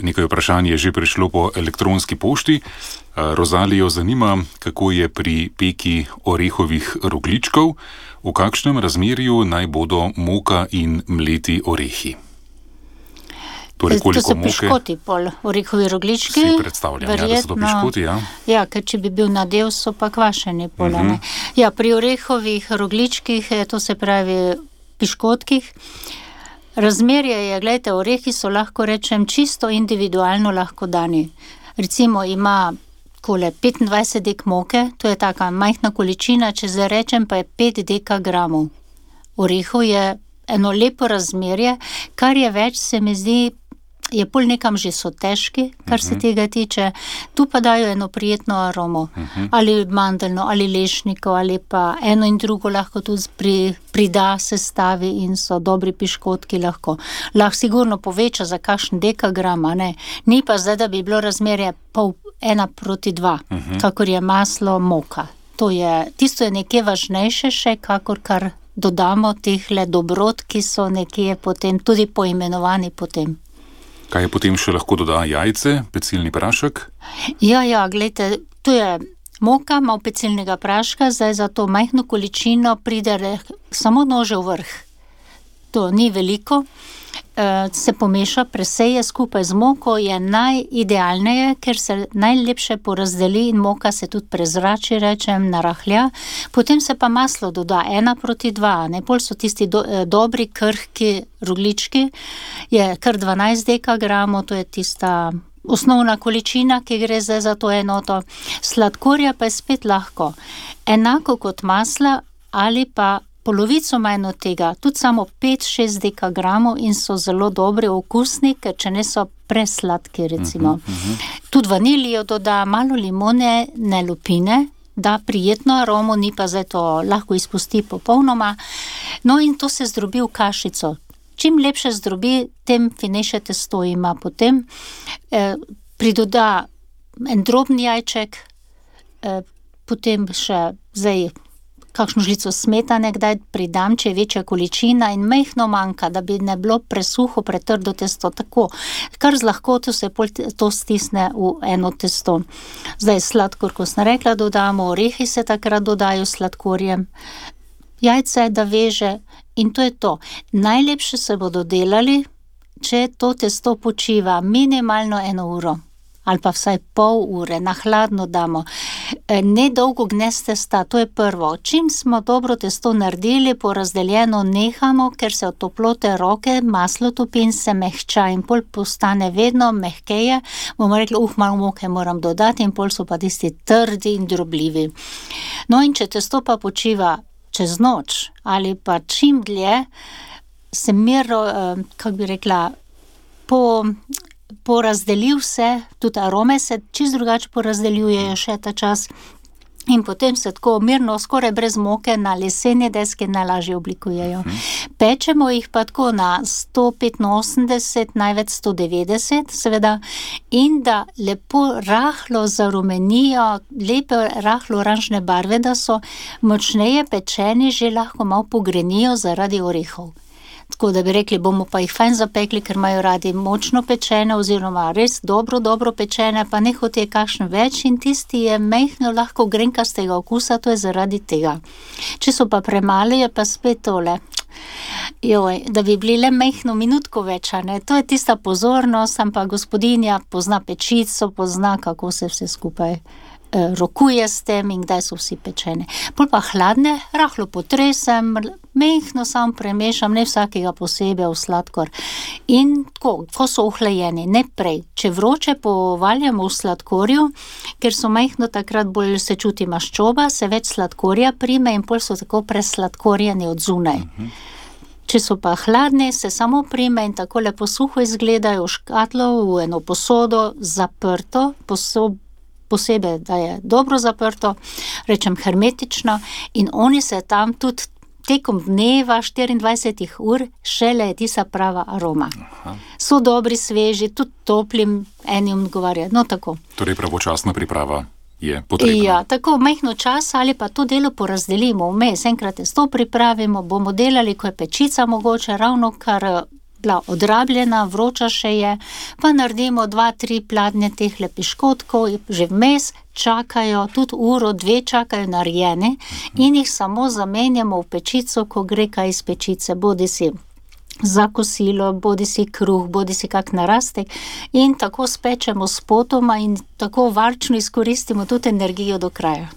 Nekaj vprašanj je že prišlo po elektronski pošti. Rozalijo zanima, kako je pri peki orehovih rogljičkov, v kakšnem razmerju naj bodo moka in mleti orehi. Torej, to so piškoti pol, orehovi rogljički. Si predstavljam, verjetno, da so to piškoti, ja. Ja, ker če bi bil nadev, so pa kvašeni pol, ne. Ja, pri orehovih rogljičkih, to se pravi piškotkih, razmerje je, gledajte, orehi so, lahko rečem, čisto individualno lahko dani. Recimo ima 25 dek moke, to je taka majhna količina, če zdaj rečem, pa je 5 dekagramov. Orehov je eno lepo razmerje, kar je več, se mi zdi, je pol nekam že so težki, kar se tega tiče. Tu pa dajo eno prijetno aromo, ali mandeljno, ali lešniko, ali pa eno in drugo lahko tudi prida, sestavi in so dobri piškotki lahko. Lahko sigurno poveča za kakšen dekagram, ne. Ni pa zdaj, da bi bilo razmerje 1:2, kakor je maslo, moka. Tisto je nekje važnejše še, kakor kar dodamo tehle dobrot, ki so nekje potem tudi poimenovani potem. Kaj je potem še lahko doda? Jajce, pecilni prašek? Ja, gledajte, to je moka, malo pecilnega praška, zdaj za to majhno količino pride samo nožev vrh. To ni veliko, se pomeša, preseje skupaj z moko, je najidealneje, ker se najlepše porazdeli in moka se tudi prezrači, rečem, narahlja. Potem se pa maslo doda 1:2, ne, pol so tisti dobri, krhki rogljički, je kar 12 dekagramov, to je tista osnovna količina, ki gre zdaj za to enoto. Sladkorja pa je spet lahko. Enako kot masla ali pa polovico manj od tega, tudi samo 5-6 dekagramov in so zelo dobri, okusni, ker če ne so presladki, recimo. Tudi vanilijo doda, malo limone, ne lupine, da prijetno aromo, ni pa zdaj to, lahko izpusti popolnoma. No in to se zdrobi v kašico. Čim lepše zdrobi, tem finejše testo ima potem. Pridoda en drobni jajček, potem še zdaj kakšno žlico smetane kdaj pridam, če je večja količina in majhno manjka, da bi ne bilo presuho, pretrdo testo, tako. Kar z lahkoto se to stisne v eno testo. Zdaj sladkor, ko sem rekla, dodamo, orehi se takrat dodajo sladkorjem, jajce, da veže in to je to. Najlepše se bodo delali, če to testo počiva minimalno 1 uro. Ali pa vsaj pol ure, na hladno damo. Nedolgo gnez testa, to je prvo. Čim smo dobro testo naredili, porazdeljeno nehamo, ker se od toplote roke maslo topi in se mehča in pol postane vedno mehkeje. Bomo rekli, malo moke moram dodati in pol so pa tisti trdi in drobljivi. No in če testo pa počiva čez noč ali pa čim dlje, se mirno, kako bi rekla, porazdelil se, tudi arome se čisto drugače porazdeljujejo še ta čas in potem se tako mirno, skoraj brez moke, na leseni deski najlažje oblikujejo. Pečemo jih pa tako na 185, največ 190, seveda, in da lepo rahlo zarumenijo, lepe rahlo oranžne barve, da so močneje pečeni, že lahko malo pogrenijo zaradi orehov. Tako da bi rekli, bomo pa jih fajn zapekli, ker imajo radi močno pečene oziroma res dobro pečene, pa ne hote kakšen več in tisti je mehno lahko grenkastega okusa, to je zaradi tega. Če so pa premali, je pa spet tole. Da bi bili le mehno minutko več, ne? To je tista pozornost, ampak gospodinja pozna pečico, pozna, kako se vse skupaj rokuje s tem in kdaj so vsi pečeni. Pol pa hladne, rahlo potresem, mehno sam premešam, ne vsakega posebej v sladkor. In tako, ko so ohlajeni, ne prej. Če vroče povaljamo v sladkorju, ker so mehno takrat bolj se čuti maščoba, se več sladkorja prime in pol so tako presladkorjeni od zunaj. Če so pa hladne, se samo prime in tako lepo suho izgledajo v škatlo, v eno posodo, zaprto, posebej, da je dobro zaprto, rečem hermetično, in oni se tam tudi tekom dneva 24 ur šele je tista prava aroma. So dobri, sveži, tudi toplim, enim odgovarja, no tako. Torej pravočasna priprava je potrebna. Ja, tako mehno čas ali pa to delo porazdelimo vmes, enkrat testo pripravimo, bomo delali, ko je pečica mogoče, ravno kar bila odrabljena, vroča še je, pa naredimo 2-3 pladnje teh piškotkov, že vmes čakajo, tudi 1-2 čakajo narejene in jih samo zamenjamo v pečico, ko gre kaj iz pečice, bodisi za kosilo, bodisi kruh, bodisi kak narastek in tako spečemo spotoma in tako varčno izkoristimo tudi energijo do kraja.